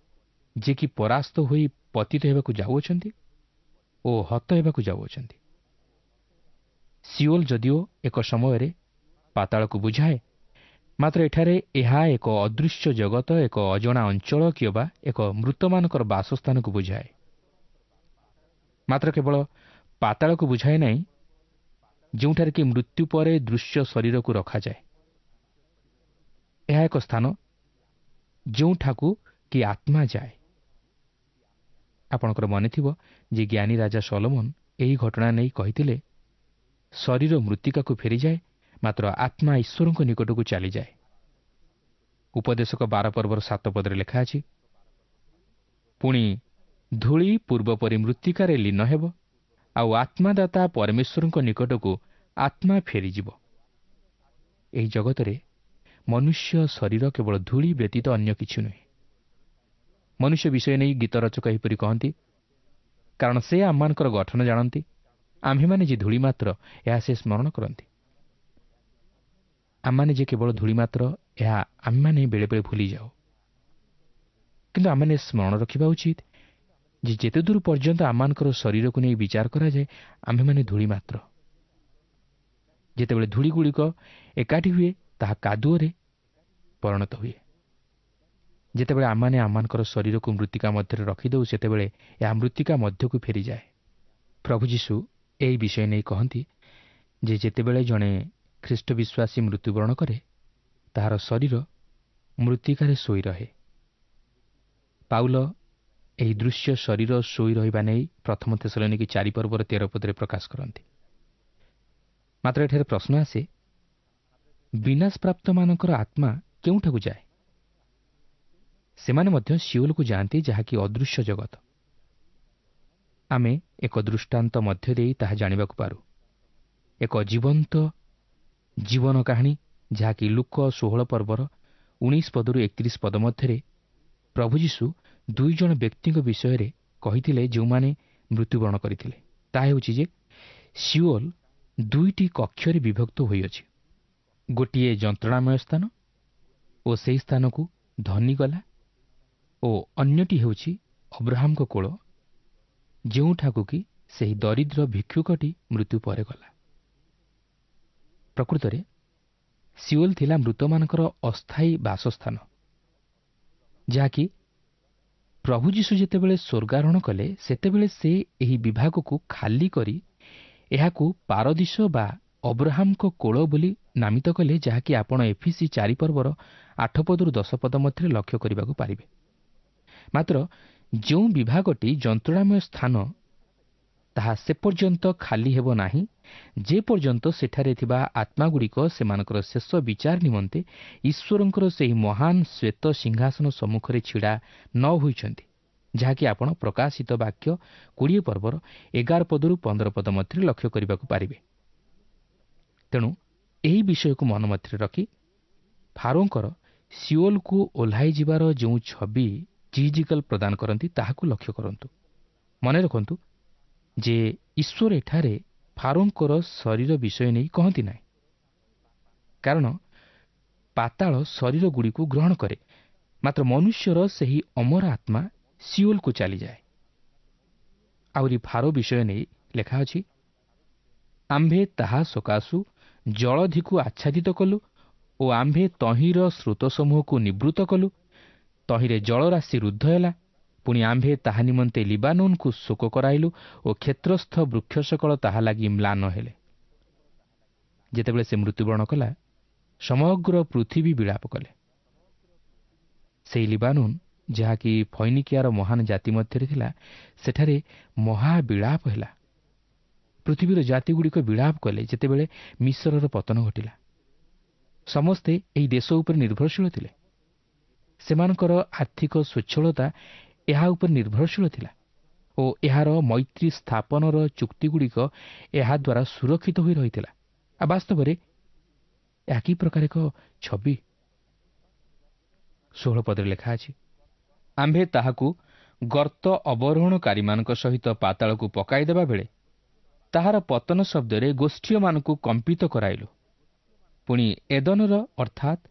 ଯେ କି ପରାସ୍ତ ହୋଇ ପତିତ ହେବାକୁ ଯାଉଅଛନ୍ତି ଓ ହତ ହେବାକୁ ଯାଉଅଛନ୍ତି। ସିଓଲ ଯଦିଓ ଏକ ସମୟରେ ପାତାଳକୁ ବୁଝାଏ, ମାତ୍ର ଏଠାରେ ଏହା ଏକ ଅଦୃଶ୍ୟ ଜଗତ, ଏକ ଅଜଣା ଅଞ୍ଚଳ କିମ୍ବା ଏକ ମୃତମାନଙ୍କର ବାସସ୍ଥାନକୁ ବୁଝାଏ। ମାତ୍ର କେବଳ ପାତାଳକୁ ବୁଝାଏ ନାହିଁ, ଯେଉଁଠାରେ କି ମୃତ୍ୟୁ ପରେ ଦୃଶ୍ୟ ଶରୀରକୁ ରଖାଯାଏ। ଏହା ଏକ ସ୍ଥାନ ଯେଉଁଠାକୁ କି ଆତ୍ମା ଯାଏ। ଆପଣଙ୍କର ମନେଥିବ ଯେ ଜ୍ଞାନୀ ରାଜା ସଲୋମନ ଏହି ଘଟଣା ନେଇ କହିଥିଲେ, ଶରୀର ମୃତ୍ତିକାକୁ ଫେରିଯାଏ, ମାତ୍ର ଆତ୍ମା ଈଶ୍ୱରଙ୍କ ନିକଟକୁ ଚାଲିଯାଏ। ଉପଦେଶକ 12 ପର୍ବର 7 ପଦରେ ଲେଖା ଅଛି, ପୁଣି ଧୂଳି ପୂର୍ବପରି ମୃତ୍ତିକାରେ ଲୀନ ହେବ, ଆଉ ଆତ୍ମାଦାତା ପରମେଶ୍ୱରଙ୍କ ନିକଟକୁ ଆତ୍ମା ଫେରିଯିବ। ଏହି ଜଗତରେ ମନୁଷ୍ୟ ଶରୀର କେବଳ ଧୂଳି ବ୍ୟତୀତ ଅନ୍ୟ କିଛି ନୁହେଁ। ମନୁଷ୍ୟ ବିଷୟ ନେଇ ଗୀତ ରଚକ ଏହିପରି କହନ୍ତି, କାରଣ ସେ ଆମମାନଙ୍କର ଗଠନ ଜାଣନ୍ତି, ଆମ୍ଭେମାନେ ଯେ ଧୂଳି ମାତ୍ର ଏହା ସେ ସ୍ମରଣ କରନ୍ତି। ଆମମାନେ ଯେ କେବଳ ଧୂଳି ମାତ୍ର ଏହା ଆମେମାନେ ବେଳେବେଳେ ଭୁଲିଯାଉ। କିନ୍ତୁ ଆମେମାନେ ସ୍ମରଣ ରଖିବା ଉଚିତ ଯେ ଯେତେ ଦୂର ପର୍ଯ୍ୟନ୍ତ ଆମମାନଙ୍କର ଶରୀରକୁ ନେଇ ବିଚାର କରାଯାଏ, ଆମ୍ଭେମାନେ ଧୂଳି ମାତ୍ର। ଯେତେବେଳେ ଧୂଳିଗୁଡ଼ିକ ଏକାଠି ହୁଏ, ତାହା କାଦୁଅରେ ପରିଣତ ହୁଏ। ଯେତେବେଳେ ଆମମାନେ ଆମମାନଙ୍କର ଶରୀରକୁ ମୃତ୍ତିକା ମଧ୍ୟରେ ରଖିଦେଉ, ସେତେବେଳେ ଏହା ମୃତ୍ତିକା ମଧ୍ୟକୁ ଫେରିଯାଏ। ପ୍ରଭୁ ଯୀଶୁ ଏହି ବିଷୟ ନେଇ କହନ୍ତି ଯେ ଯେତେବେଳେ ଜଣେ ଖ୍ରୀଷ୍ଟ ବିଶ୍ୱାସୀ ମୃତ୍ୟୁବରଣ କରେ, ତାହାର ଶରୀର ମୃତ୍ତିକାରେ ଶୋଇ ରହେ। ପାଉଲ ଏହି ଦୃଶ୍ୟ ଶରୀର ଶୋଇ ରହିବା ନେଇ ପ୍ରଥମ ଥେସଲନୀକି 4 ପର୍ବର 13 ପଦରେ ପ୍ରକାଶ କରନ୍ତି। ମାତ୍ର ଏଠାରେ ପ୍ରଶ୍ନ ଆସେ, ବିନାଶପ୍ରାପ୍ତମାନଙ୍କର ଆତ୍ମା କେଉଁଠାକୁ ଯାଏ? ସେମାନେ ମଧ୍ୟ ସିଓଲକୁ ଯାଆନ୍ତି, ଯାହାକି ଅଦୃଶ୍ୟ ଜଗତ। ଆମେ ଏକ ଦୃଷ୍ଟାନ୍ତ ମଧ୍ୟ ଦେଇ ତାହା ଜାଣିବାକୁ ପାରୁ। ଏକ ଜୀବନ୍ତ ଜୀବନ କାହାଣୀ, ଯାହାକି ଲୂକ 16 ପର୍ବର 19 ପଦରୁ 31 ପଦ ମଧ୍ୟରେ ପ୍ରଭୁ ଯୀଶୁ 2 ଜଣ ବ୍ୟକ୍ତିଙ୍କ ବିଷୟରେ କହିଥିଲେ ଯେଉଁମାନେ ମୃତ୍ୟୁବରଣ କରିଥିଲେ। ତାହା ହେଉଛି ଯେ ସିଓଲ 2ଟି କକ୍ଷରେ ବିଭକ୍ତ ହୋଇଅଛି। ଗୋଟିଏ ଯନ୍ତ୍ରଣାମୟ ସ୍ଥାନ ଓ ସେହି ସ୍ଥାନକୁ ଧନୀ ଗଲା, ଓ ଅନ୍ୟଟି ହେଉଛି ଅବ୍ରାହାମଙ୍କ କୋଳ, ଯେଉଁଠାକୁ କି ସେହି ଦରିଦ୍ର ଭିକ୍ଷୁକଟି ମୃତ୍ୟୁ ପରେ ଗଲା। ପ୍ରକୃତରେ ସିଓଲ ଥିଲା ମୃତମାନଙ୍କର ଅସ୍ଥାୟୀ ବାସସ୍ଥାନ, ଯାହାକି ପ୍ରଭୁ ଯୀଶୁ ଯେତେବେଳେ ସ୍ୱର୍ଗାରୋହଣ କଲେ, ସେତେବେଳେ ସେ ଏହି ବିଭାଗକୁ ଖାଲି କରି ଏହାକୁ ପାରଦୀଶ ବା ଅବ୍ରାହାମଙ୍କ କୋଳ ବୋଲି ନାମିତ କଲେ, ଯାହାକି ଆପଣ ଏଫିସି 4 ପର୍ବର 8 ପଦରୁ 10 ପଦ ମଧ୍ୟରେ ଲକ୍ଷ୍ୟ କରିବାକୁ ପାରିବେ। ମାତ୍ର ଯେଉଁ ବିଭାଗଟି ଯନ୍ତ୍ରଣାମୟ ସ୍ଥାନ, ତାହା ସେ ପର୍ଯ୍ୟନ୍ତ ଖାଲି ହେବ ନାହିଁ ଯେପର୍ଯ୍ୟନ୍ତ ସେଠାରେ ଥିବା ଆତ୍ମାଗୁଡ଼ିକ ସେମାନଙ୍କର ଶେଷ ବିଚାର ନିମନ୍ତେ ଈଶ୍ୱରଙ୍କର ସେହି ମହାନ ଶ୍ୱେତ ସିଂହାସନ ସମ୍ମୁଖରେ ଛିଡ଼ା ନ ହୋଇଛନ୍ତି, ଯାହାକି ଆପଣ ପ୍ରକାଶିତ ବାକ୍ୟ 20 ପର୍ବର 11 ପଦରୁ 15 ପଦ ମଧ୍ୟରେ ଲକ୍ଷ୍ୟ କରିବାକୁ ପାରିବେ। ତେଣୁ ଏହି ବିଷୟକୁ ମନ ମଧ୍ୟରେ ରଖି ଫାରୋଙ୍କର ସିଓଲକୁ ଓହ୍ଲାଇ ଯିବାର ଯେଉଁ ଛବି ଜିଜିକଲ ପ୍ରଦାନ କରନ୍ତି, ତାହାକୁ ଲକ୍ଷ୍ୟ କରନ୍ତୁ। ମନେ ରଖନ୍ତୁ ଯେ ଈଶ୍ୱର ଏଠାରେ ଫାରୋଙ୍କର ଶରୀର ବିଷୟ ନେଇ କହନ୍ତି ନାହିଁ, କାରଣ ପାତାଳ ଶରୀରଗୁଡ଼ିକୁ ଗ୍ରହଣ କରେ, ମାତ୍ର ମନୁଷ୍ୟର ସେହି ଅମର ଆତ୍ମା ସିଓଲକୁ ଚାଲିଯାଏ। ଆହୁରି ଫାରୋ ବିଷୟ ନେଇ ଲେଖା ଅଛି, ଆମ୍ଭେ ତାହା ସକାଶୁ ଜଳଧିକୁ ଆଚ୍ଛାଦିତ କଲୁ ଓ ଆମ୍ଭେ ତହିଁର ସ୍ରୋତସମୂହକୁ ନିବୃତ୍ତ କଲୁ, ତହିଁରେ ଜଳରାଶି ରୁଦ୍ଧ ହେଲା। ପୁଣି ଆମ୍ଭେ ତାହା ନିମନ୍ତେ ଲିବାନୋନକୁ ଶୋକ କରାଇଲୁ ଓ କ୍ଷେତ୍ରସ୍ଥ ବୃକ୍ଷ ସକଳ ତାହା ଲାଗି ମ୍ଲାନ ହେଲେ। ଯେତେବେଳେ ସେ ମୃତ୍ୟୁବରଣ କଲା, ସମଗ୍ର ପୃଥିବୀ ବିଳାପ କଲେ। ସେହି ଲିବାନୋନ, ଯାହାକି ଫୈନିକିଆର ମହାନ ଜାତି ମଧ୍ୟରେ ଥିଲା, ସେଠାରେ ମହାବିଳାପ ହେଲା। ପୃଥିବୀର ଜାତିଗୁଡ଼ିକ ବିଳାପ କଲେ ଯେତେବେଳେ ମିଶରର ପତନ ଘଟିଲା। ସମସ୍ତେ ଏହି ଦେଶ ଉପରେ ନିର୍ଭରଶୀଳ ଥିଲେ। ସେମାନଙ୍କର ଆର୍ଥିକ ସ୍ୱଚ୍ଛଳତା ଏହା ଉପରେ ନିର୍ଭରଶୀଳ ଥିଲା ଓ ଏହାର ମୈତ୍ରୀ ସ୍ଥାପନର ଚୁକ୍ତିଗୁଡ଼ିକ ଏହାଦ୍ୱାରା ସୁରକ୍ଷିତ ହୋଇ ରହିଥିଲା। ଆଉ ବାସ୍ତବରେ ଏହା କି ପ୍ରକାର ଏକ ଛବି! 16 ପଦରେ ଲେଖା ଅଛି, ଆମ୍ଭେ ତାହାକୁ ଗର୍ତ୍ତ ଅବରୋହଣକାରୀମାନଙ୍କ ସହିତ ପାତାଳକୁ ପକାଇଦେବା ବେଳେ ତାହାର ପତନ ଶବ୍ଦରେ ଗୋଷ୍ଠୀୟମାନଙ୍କୁ କମ୍ପିତ କରାଇଲୁ। ପୁଣି ଏଦନର ଅର୍ଥାତ୍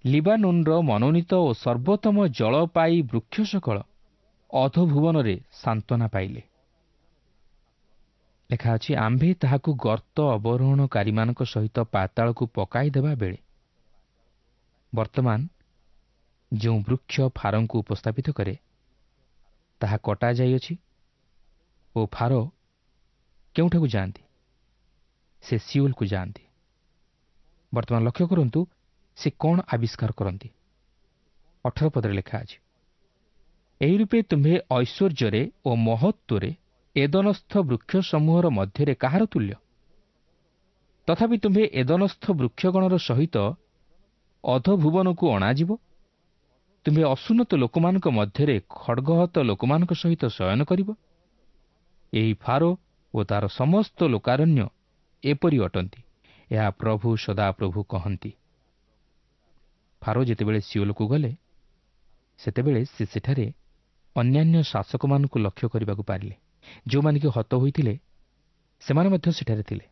ଲିବାନୋନର ମନୋନୀତ ଓ ସର୍ବୋତ୍ତମ ଜଳପାୟୀ ବୃକ୍ଷ ସକଳ ଅଧୋଭୁବନରେ ସାନ୍ତ୍ୱନା ପାଇଲେ। ଲେଖା ଅଛି, ଆମ୍ଭେ ତାହାକୁ ଗର୍ତ୍ତ ଅବରୋହଣକାରୀମାନଙ୍କ ସହିତ ପାତାଳକୁ ପକାଇଦେବା ବେଳେ। ବର୍ତ୍ତମାନ ଯେଉଁ ବୃକ୍ଷ ଫାରୋଙ୍କୁ ଉପସ୍ଥାପିତ କରେ, ତାହା କଟାଯାଇଅଛି ଓ ଫାରୋ କେଉଁଠାକୁ ଯାଆନ୍ତି? ସେ ସିଓଲକୁ ଯାଆନ୍ତି। ବର୍ତ୍ତମାନ ଲକ୍ଷ୍ୟ କରନ୍ତୁ, ସେ କ'ଣ ଆବିଷ୍କାର କରନ୍ତି। 18 ପଦରେ ଲେଖା ଅଛି, ଏହି ରୂପେ ତୁମ୍ଭେ ଐଶ୍ୱର୍ଯ୍ୟରେ ଓ ମହତ୍ତ୍ୱରେ ଏଦନସ୍ଥ ବୃକ୍ଷ ସମୂହର ମଧ୍ୟରେ କାହାର ତୁଲ୍ୟ? ତଥାପି ତୁମ୍ଭେ ଏଦନସ୍ଥ ବୃକ୍ଷଗଣର ସହିତ ଅଧଭୁବନକୁ ଅଣାଯିବ। ତୁମ୍ଭେ ଅସୁନ୍ନତ ଲୋକମାନଙ୍କ ମଧ୍ୟରେ ଖଡ଼ଗହତ ଲୋକମାନଙ୍କ ସହିତ ଶୟନ କରିବ। ଏହି ଫାରୋ ଓ ତାର ସମସ୍ତ ଲୋକାରଣ୍ୟ ଏପରି ଅଟନ୍ତି, ଏହା ପ୍ରଭୁ ସଦାପ୍ରଭୁ କହନ୍ତି। ଫାରୋ ଯେତେବେଳେ ସିଓଲକୁ ଗଲେ, ସେତେବେଳେ ସେ ସେଠାରେ ଅନ୍ୟାନ୍ୟ ଶାସକମାନଙ୍କୁ ଲକ୍ଷ୍ୟ କରିବାକୁ ପାରିଲେ। ଯେଉଁମାନେ କି ହତ ହୋଇଥିଲେ ସେମାନେ ମଧ୍ୟ ସେଠାରେ ଥିଲେ।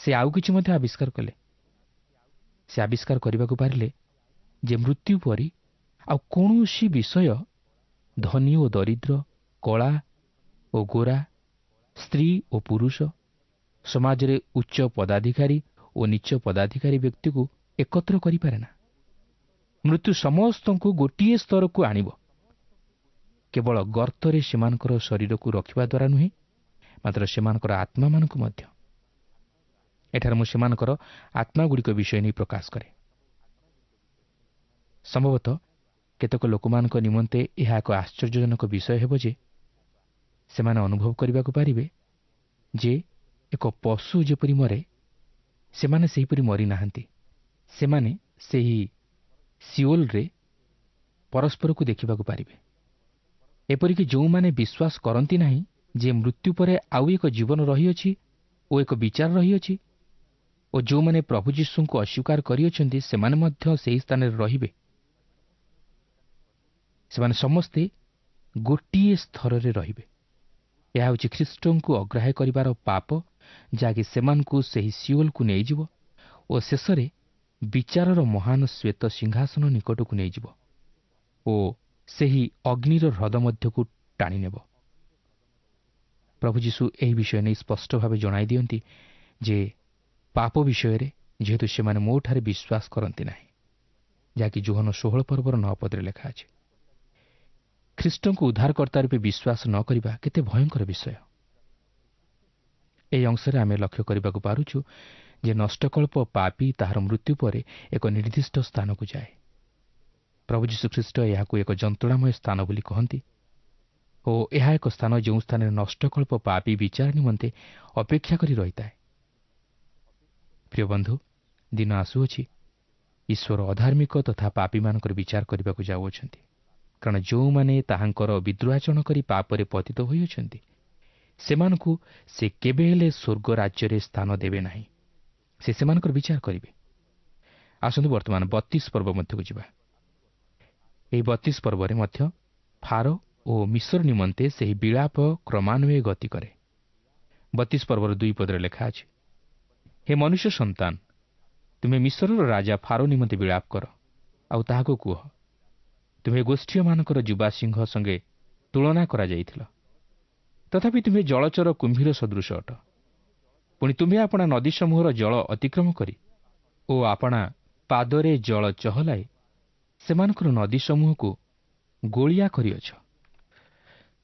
ସେ ଆଉ କିଛି ମଧ୍ୟ ଆବିଷ୍କାର କଲେ। ସେ ଆବିଷ୍କାର କରିବାକୁ ପାରିଲେ ଯେ ମୃତ୍ୟୁ ପରି ଆଉ କୌଣସି ବିଷୟ ଧନୀ ଓ ଦରିଦ୍ର, କଳା ଓ ଗୋରା, ସ୍ତ୍ରୀ ଓ ପୁରୁଷ, ସମାଜରେ ଉଚ୍ଚ ପଦାଧିକାରୀ ଓ ନୀଚ ପଦାଧିକାରୀ ବ୍ୟକ୍ତିକୁ ଏକତ୍ର କରିପାରେ ନା। ମୃତ୍ୟୁ ସମସ୍ତଙ୍କୁ ଗୋଟିଏ ସ୍ତରକୁ ଆଣିବ, କେବଳ ଗର୍ତ୍ତରେ ସେମାନଙ୍କର ଶରୀରକୁ ରଖିବା ଦ୍ୱାରା ନୁହେଁ, ମାତ୍ର ସେମାନଙ୍କର ଆତ୍ମାମାନଙ୍କୁ ମଧ୍ୟ। ଏଠାରେ ମୁଁ ସେମାନଙ୍କର ଆତ୍ମାଗୁଡ଼ିକ ବିଷୟ ନେଇ ପ୍ରକାଶ କରେ। ସମ୍ଭବତଃ କେତେକ ଲୋକମାନଙ୍କ ନିମନ୍ତେ ଏହା ଏକ ଆଶ୍ଚର୍ଯ୍ୟଜନକ ବିଷୟ ହେବ ଯେ ସେମାନେ ଅନୁଭବ କରିବାକୁ ପାରିବେ ଯେ ଏକ ପଶୁ ଯେପରି ମରେ, ସେମାନେ ସେହିପରି ମରିନାହାନ୍ତି। ସେମାନେ ସେହି ସିଓଲରେ ପରସ୍ପରକୁ ଦେଖିବାକୁ ପାରିବେ। ଏପରିକି ଯେଉଁମାନେ ବିଶ୍ୱାସ କରନ୍ତି ନାହିଁ ଯେ ମୃତ୍ୟୁ ପରେ ଆଉ ଏକ ଜୀବନ ରହିଅଛି ଓ ଏକ ବିଚାର ରହିଅଛି, ଓ ଯେଉଁମାନେ ପ୍ରଭୁ ଯୀଶୁଙ୍କୁ ଅସ୍ୱୀକାର କରିଅଛନ୍ତି, ସେମାନେ ମଧ୍ୟ ସେହି ସ୍ଥାନରେ ରହିବେ। ସେମାନେ ସମସ୍ତେ ଗୋଟିଏ ସ୍ତରରେ ରହିବେ। ଏହା ହେଉଛି ଖ୍ରୀଷ୍ଟଙ୍କୁ ଅଗ୍ରାହ୍ୟ କରିବାର ପାପ, ଯାହାକି ସେମାନଙ୍କୁ ସେହି ସିଓଲକୁ ନେଇଯିବ ଓ ଶେଷରେ ବିଚାରର ମହାନ ଶ୍ୱେତ ସିଂହାସନ ନିକଟକୁ ନେଇଯିବ ଓ ସେହି ଅଗ୍ନିର ହ୍ରଦ ମଧ୍ୟକୁ ଟାଣିନେବ। ପ୍ରଭୁ ଯୀଶୁ ଏହି ବିଷୟ ନେଇ ସ୍ପଷ୍ଟ ଭାବେ ଜଣାଇ ଦିଅନ୍ତି ଯେ ପାପ ବିଷୟରେ, ଯେହେତୁ ସେମାନେ ମୋଠାରେ ବିଶ୍ୱାସ କରନ୍ତି ନାହିଁ, ଯାହାକି ଯୋହନ 16 ପର୍ବର 9 ପଦରେ ଲେଖା ଅଛି। ଖ୍ରୀଷ୍ଟଙ୍କୁ ଉଦ୍ଧାରକର୍ତ୍ତା ରୂପେ ବିଶ୍ୱାସ ନ କରିବା କେତେ ଭୟଙ୍କର ବିଷୟ। ଏହି ଅଂଶରେ ଆମେ ଲକ୍ଷ୍ୟ କରିବାକୁ ପାରୁଛୁ ଯେ ନଷ୍ଟକଳ୍ପ ପାପୀ ତାହାର ମୃତ୍ୟୁ ପରେ ଏକ ନିର୍ଦ୍ଦିଷ୍ଟ ସ୍ଥାନକୁ ଯାଏ। ପ୍ରଭୁ ଯୀଶୁଖ୍ରୀଷ୍ଟ ଏହାକୁ ଏକ ଯନ୍ତ୍ରଣାମୟ ସ୍ଥାନ ବୋଲି କହନ୍ତି ଓ ଏହା ଏକ ସ୍ଥାନ ଯେଉଁ ସ୍ଥାନରେ ନଷ୍ଟକଳ୍ପ ପାପୀ ବିଚାର ନିମନ୍ତେ ଅପେକ୍ଷା କରି ରହିଥାଏ। ପ୍ରିୟ ବନ୍ଧୁ, ଦିନ ଆସୁଅଛି ଈଶ୍ୱର ଅଧାର୍ମିକ ତଥା ପାପୀମାନଙ୍କର ବିଚାର କରିବାକୁ ଯାଉଅଛନ୍ତି। କାରଣ ଯେଉଁମାନେ ତାହାଙ୍କର ବିଦ୍ରୋହାଚରଣ କରି ପାପରେ ପତିତ ହୋଇଅଛନ୍ତି, ସେମାନଙ୍କୁ ସେ କେବେ ହେଲେ ସ୍ୱର୍ଗ ରାଜ୍ୟରେ ସ୍ଥାନ ଦେବେ ନାହିଁ। ସେ ସେମାନଙ୍କର ବିଚାର କରିବେ। ଆସନ୍ତୁ ବର୍ତ୍ତମାନ 32 ପର୍ବ ମଧ୍ୟକୁ ଯିବା। ଏହି 32 ପର୍ବରେ ମଧ୍ୟ ଫାରୋ ଓ ମିଶର ନିମନ୍ତେ ସେହି ବିଳାପ କ୍ରମାନ୍ୱয়ে ଗତି କରେ। 32 ପର୍ବର 2 ପଦରେ ଲେଖା ଅଛି, ହେ ମନୁଷ୍ୟ ସନ୍ତାନ, ତୁମେ ମିଶରର ରାଜା ଫାରୋ ନିମନ୍ତେ ବିଳାପ କର, ଆଉ ତାହାକୁ କୁହ, ତୁମେ ଗୋଷ୍ଠୀୟମାନଙ୍କର ଯୁବା ସିଂହ ସଙ୍ଗେ ତୁଳନା କରାଯାଇଥିଲ, ତଥାପି ତୁମେ ଜଳଚର କୁମ୍ଭୀର ସଦୃଶ ଅଟ। ପୁଣି ତୁମେ ଆପଣା ନଦୀ ସମୂହର ଜଳ ଅତିକ୍ରମ କରି ଓ ଆପଣା ପାଦରେ ଜଳ ଚହଲାଇ ସେମାନଙ୍କର ନଦୀ ସମୂହକୁ ଗୋଳିଆ କରିଅଛ।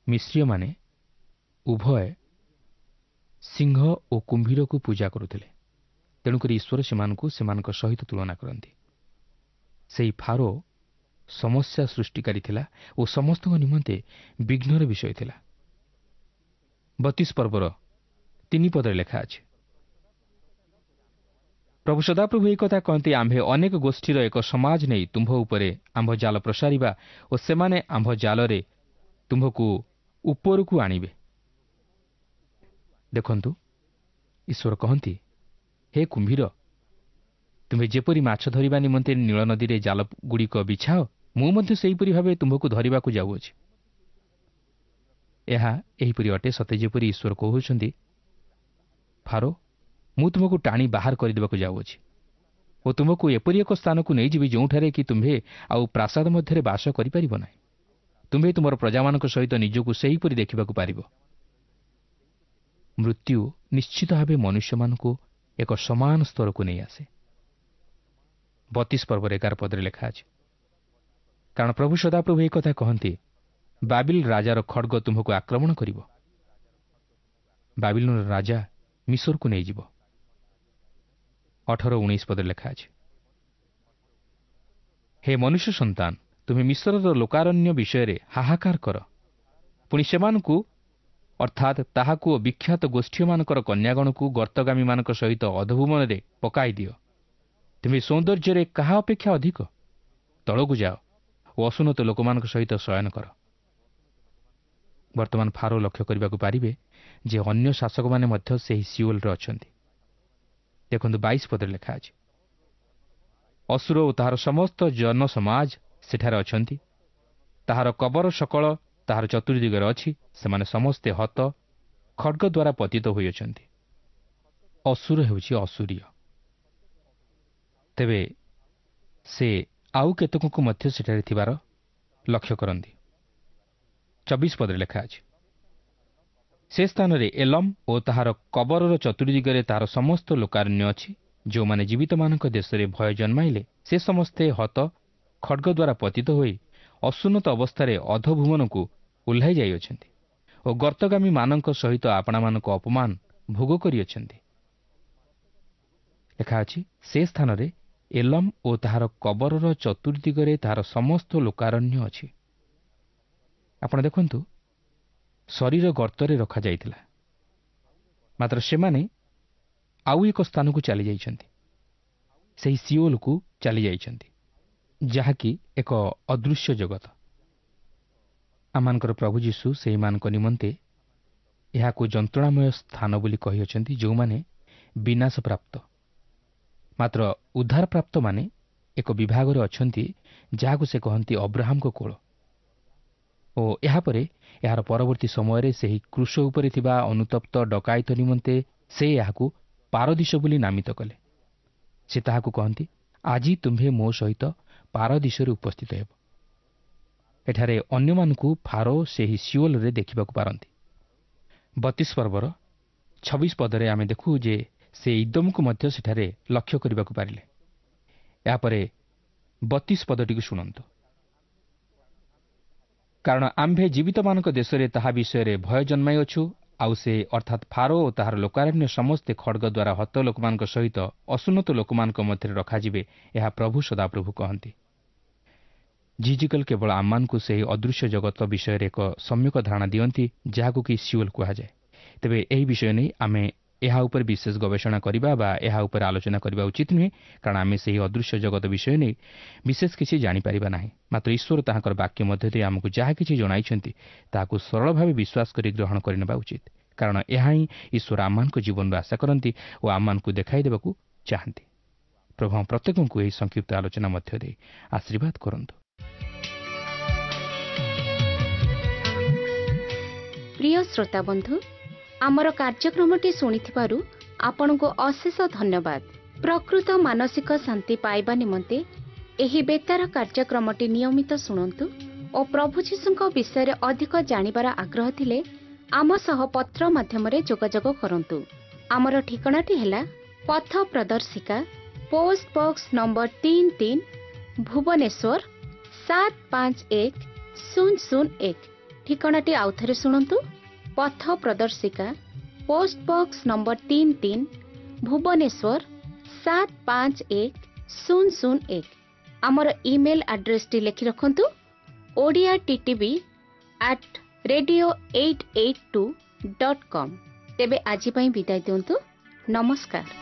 ମିଶ୍ରୀୟମାନେ ଉଭୟ ସିଂହ ଓ କୁମ୍ଭୀରକୁ ପୂଜା କରୁଥିଲେ, ତେଣୁକରି ଈଶ୍ୱର ସେମାନଙ୍କୁ ସେମାନଙ୍କ ସହିତ ତୁଳନା କରନ୍ତି। ସେହି ଫାରୋ ସମସ୍ୟା ସୃଷ୍ଟିକାରୀ ଥିଲା ଓ ସମସ୍ତଙ୍କ ନିମନ୍ତେ ବିଘ୍ନର ବିଷୟ ଥିଲା। 32 ପର୍ବର 3 ପଦରେ ଲେଖା ଅଛି, ପ୍ରଭୁ ସଦାପ୍ରଭୁ ଏହି କଥା କହନ୍ତି, ଆମ୍ଭେ ଅନେକ ଗୋଷ୍ଠୀର ଏକ ସମାଜ ନେଇ ତୁମ୍ଭ ଉପରେ ଆମ୍ଭ ଜାଲ ପ୍ରସାରିବା ଓ ସେମାନେ ଆମ୍ଭ ଜାଲରେ ତୁମ୍ଭକୁ ଉପରକୁ ଆଣିବେ। ଦେଖନ୍ତୁ, ଈଶ୍ୱର କହନ୍ତି, ହେ କୁମ୍ଭୀର, ତୁମ୍ଭେ ଯେପରି ମାଛ ଧରିବା ନିମନ୍ତେ ନୀଳ ନଦୀରେ ଜାଲଗୁଡ଼ିକ ବିଛାଅ, ମୁଁ ମଧ୍ୟ ସେହିପରି ଭାବେ ତୁମ୍ଭକୁ ଧରିବାକୁ ଯାଉଅଛି। ଏହା ଏହିପରି ଅଟେ ସତେ ଯେପରି ଈଶ୍ୱର କହୁଛନ୍ତି, ଫାରୋ, ମୁଁ ତୁମକୁ ଟାଣି ବାହାର କରିଦେବାକୁ ଯାଉଅଛି ଓ ତୁମକୁ ଏପରି ଏକ ସ୍ଥାନକୁ ନେଇଯିବି ଯେଉଁଠାରେ କି ତୁମ୍ଭେ ଆଉ ପ୍ରାସାଦ ମଧ୍ୟରେ ବାସ କରିପାରିବ ନାହିଁ। ତୁମ୍ଭେ ତୁମର ପ୍ରଜାମାନଙ୍କ ସହିତ ନିଜକୁ ସେହିପରି ଦେଖିବାକୁ ପାରିବ। ମୃତ୍ୟୁ ନିଶ୍ଚିତ ଭାବେ ମନୁଷ୍ୟମାନଙ୍କୁ ଏକ ସମାନ ସ୍ତରକୁ ନେଇ ଆସେ। 32 ପର୍ବର 11 ପଦରେ ଲେଖା ଅଛି, କାରଣ ପ୍ରଭୁ ସଦାପ୍ରଭୁ ଏହି କଥା କହନ୍ତି, ବାବିଲ ରାଜାର ଖଡ଼ଗ ତୁମ୍ଭକୁ ଆକ୍ରମଣ କରିବ, ବାବିଲର ରାଜା ମିଶରକୁ ନେଇଯିବ। 18-19 ପଦରେ ଲେଖା ଅଛି, ହେ ମନୁଷ୍ୟ ସନ୍ତାନ, ତୁମେ ମିଶ୍ରର ଲୋକାରଣ୍ୟ ବିଷୟରେ ହାହାକାର କର। ପୁଣି ସେମାନଙ୍କୁ, ଅର୍ଥାତ୍ ତାହାକୁ ଓ ବିଖ୍ୟାତ ଗୋଷ୍ଠୀୟମାନଙ୍କର କନ୍ୟାଗଣକୁ ଗର୍ତ୍ତଗାମୀମାନଙ୍କ ସହିତ ଅଧଭୁବନରେ ପକାଇ ଦିଅ। ତୁମେ ସୌନ୍ଦର୍ଯ୍ୟରେ କାହା ଅପେକ୍ଷା ଅଧିକ? ତଳକୁ ଯାଅ ଓ ଅସୁନ୍ନତ ଲୋକମାନଙ୍କ ସହିତ ଶୟନ କର। ବର୍ତ୍ତମାନ ଫାରୋ ଲକ୍ଷ୍ୟ କରିବାକୁ ପାରିବେ ଯେ ଅନ୍ୟ ଶାସକମାନେ ମଧ୍ୟ ସେହି ସିଓଲରେ ଅଛନ୍ତି। ଦେଖନ୍ତୁ, 22 ପଦରେ ଲେଖା ଅଛି, ଅସୁର ଓ ତାହାର ସମସ୍ତ ଜନସମାଜ ସେଠାରେ ଅଛନ୍ତି, ତାହାର କବର ସକଳ ତାହାର ଚତୁର୍ଦିଗରେ ଅଛି, ସେମାନେ ସମସ୍ତେ ହତ ଖଡ଼ଗ ଦ୍ୱାରା ପତିତ ହୋଇଅଛନ୍ତି। ଅସୁର ହେଉଛି ଅସୁରୀୟ। ତେବେ ସେ ଆଉ କେତେକଙ୍କୁ ମଧ୍ୟ ସେଠାରେ ଥିବାର ଲକ୍ଷ୍ୟ କରନ୍ତି। 24 ପଦରେ ଲେଖା ଅଛି, ସେ ସ୍ଥାନରେ ଏଲମ୍ ଓ ତାହାର କବରର ଚତୁର୍ଦିଗରେ ତାହାର ସମସ୍ତ ଲୋକାରଣ୍ୟ ଅଛି, ଯେଉଁମାନେ ଜୀବିତମାନଙ୍କ ଦେଶରେ ଭୟ ଜନ୍ମାଇଲେ, ସେ ସମସ୍ତେ ହତ ଖଡ଼ଗ ଦ୍ୱାରା ପତିତ ହୋଇ ଅସୁନ୍ନତ ଅବସ୍ଥାରେ ଅଧଭୁବନକୁ ଓହ୍ଲାଇ ଯାଇଅଛନ୍ତି ଓ ଗର୍ତ୍ତଗାମୀମାନଙ୍କ ସହିତ ଆପଣାମାନଙ୍କ ଅପମାନ ଭୋଗ କରିଅଛନ୍ତି। ଲେଖା ଅଛି, ସେ ସ୍ଥାନରେ ଏଲମ୍ ଓ ତାହାର କବରର ଚତୁର୍ଦିଗରେ ତାହାର ସମସ୍ତ ଲୋକାରଣ୍ୟ ଅଛି। ଆପଣ ଦେଖନ୍ତୁ, ଶରୀର ଗର୍ତ୍ତରେ ରଖାଯାଇଥିଲା, ମାତ୍ର ସେମାନେ ଆଉ ଏକ ସ୍ଥାନକୁ ଚାଲିଯାଇଛନ୍ତି, ସେହି ସିଓଲକୁ ଚାଲିଯାଇଛନ୍ତି, ଯାହାକି ଏକ ଅଦୃଶ୍ୟ ଜଗତ। ଆମମାନଙ୍କର ପ୍ରଭୁ ଯୀଶୁ ସେହିମାନଙ୍କ ନିମନ୍ତେ ଏହାକୁ ଯନ୍ତ୍ରଣାମୟ ସ୍ଥାନ ବୋଲି କହିଅଛନ୍ତି, ଯେଉଁମାନେ ବିନାଶପ୍ରାପ୍ତ। ମାତ୍ର ଉଦ୍ଧାରପ୍ରାପ୍ତମାନେ ଏକ ବିଭାଗରେ ଅଛନ୍ତି, ଯାହାକୁ ସେ କହନ୍ତି ଅବ୍ରାହମଙ୍କ କୋଳ। ଓ ଏହାପରେ ଏହାର ପରବର୍ତ୍ତୀ ସମୟରେ ସେହି କ୍ରୁଶ ଉପରେ ଥିବା ଅନୁତପ୍ତ ଡକାୟତ ନିମନ୍ତେ ସେ ଏହାକୁ ପାରଦୀଶ ବୋଲି ନାମିତ କଲେ। ସେ ତାହାକୁ କହନ୍ତି, ଆଜି ତୁମ୍ଭେ ମୋ ସହିତ ପାରଦୀଶରେ ଉପସ୍ଥିତ ହେବ। ଏଠାରେ ଅନ୍ୟମାନଙ୍କୁ ଫାରୋ ସେହି ସିଓଲରେ ଦେଖିବାକୁ ପାରନ୍ତି। 32 ପର୍ବର 26 ପଦରେ ଆମେ ଦେଖୁ ଯେ ସେ ଇଦୋମକୁ ମଧ୍ୟ ସେଠାରେ ଲକ୍ଷ୍ୟ କରିବାକୁ ପାରିଲେ। ଏହାପରେ 32 ପଦଟିକୁ ଶୁଣନ୍ତୁ। କାରଣ ଆମ୍ଭେ ଜୀବିତମାନଙ୍କ ଦେଶରେ ତାହା ବିଷୟରେ ଭୟ ଜନ୍ମାଇଅଛୁ, ଆଉ ସେ ଅର୍ଥାତ୍ ଫାରୋ ଓ ତାହାର ଲୋକାରଣ୍ୟ ସମସ୍ତେ ଖଡ଼ଗ ଦ୍ୱାରା ହତ ଲୋକମାନଙ୍କ ସହିତ ଅସୁନ୍ନତ ଲୋକମାନଙ୍କ ମଧ୍ୟରେ ରଖାଯିବେ, ଏହା ପ୍ରଭୁ ସଦାପ୍ରଭୁ କହନ୍ତି। ଯିହିଜିକଲ କେବଳ ଆମମାନଙ୍କୁ ସେହି ଅଦୃଶ୍ୟ ଜଗତ ବିଷୟରେ ଏକ ସମ୍ୟକ ଧାରଣା ଦିଅନ୍ତି, ଯାହାକୁ କି ସିଓଲ କୁହାଯାଏ। ତେବେ ଏହି ବିଷୟ ନେଇ ଆମେ ଏହା ଉପରେ ବିଶେଷ ଗବେଷଣା କରିବା ବା ଏହା ଉପରେ ଆଲୋଚନା କରିବା ଉଚିତ ନୁହେଁ, କାରଣ ଆମେ ସେହି ଅଦୃଶ୍ୟ ଜଗତ ବିଷୟ ନେଇ ବିଶେଷ କିଛି ଜାଣିପାରିବା ନାହିଁ। ମାତ୍ର ଈଶ୍ୱର ତାହାଙ୍କର ବାକ୍ୟ ମଧ୍ୟ ଦେଇ ଆମକୁ ଯାହା କିଛି ଜଣାଇଛନ୍ତି, ତାହାକୁ ସରଳ ଭାବେ ବିଶ୍ୱାସ କରି ଗ୍ରହଣ କରିନେବା ଉଚିତ, କାରଣ ଏହା ହିଁ ଈଶ୍ୱର ଆମମାନଙ୍କ ଜୀବନରୁ ଆଶା କରନ୍ତି ଓ ଆମମାନଙ୍କୁ ଦେଖାଇ ଦେବାକୁ ଚାହାନ୍ତି। ପ୍ରଭୁ ପ୍ରତ୍ୟେକଙ୍କୁ ଏହି ସଂକ୍ଷିପ୍ତ ଆଲୋଚନା ମଧ୍ୟ ଦେଇ ଆଶୀର୍ବାଦ କରନ୍ତୁ। ପ୍ରିୟ ଶ୍ରୋତାବନ୍ଧୁ, ଆମର କାର୍ଯ୍ୟକ୍ରମଟି ଶୁଣିଥିବାରୁ ଆପଣଙ୍କୁ ଅଶେଷ ଧନ୍ୟବାଦ। ପ୍ରକୃତ ମାନସିକ ଶାନ୍ତି ପାଇବା ନିମନ୍ତେ ଏହି ବେତାର କାର୍ଯ୍ୟକ୍ରମଟି ନିୟମିତ ଶୁଣନ୍ତୁ ଓ ପ୍ରଭୁ ଯୀଶୁଙ୍କ ବିଷୟରେ ଅଧିକ ଜାଣିବାର ଆଗ୍ରହ ଥିଲେ ଆମ ସହ ପତ୍ର ମାଧ୍ୟମରେ ଯୋଗାଯୋଗ କରନ୍ତୁ। ଆମର ଠିକଣାଟି ହେଲା ପଥ ପ୍ରଦର୍ଶିକା, ପୋଷ୍ଟ ବକ୍ସ ନମ୍ବର 33, ଭୁବନେଶ୍ୱର 751001। ଠିକଣାଟି ଆଉଥରେ ଶୁଣନ୍ତୁ, ପଥ ପ୍ରଦର୍ଶିକା, ପୋଷ୍ଟ ବକ୍ସ ନମ୍ବର 33, ଭୁବନେଶ୍ୱର 751001। ଆମର ଇମେଲ୍ ଆଡ୍ରେସଟି ଲେଖି ରଖନ୍ତୁ, Odia TTV at radio 882.com। ତେବେ ଆଜି ପାଇଁ ବିଦାୟ ଦିଅନ୍ତୁ, ନମସ୍କାର।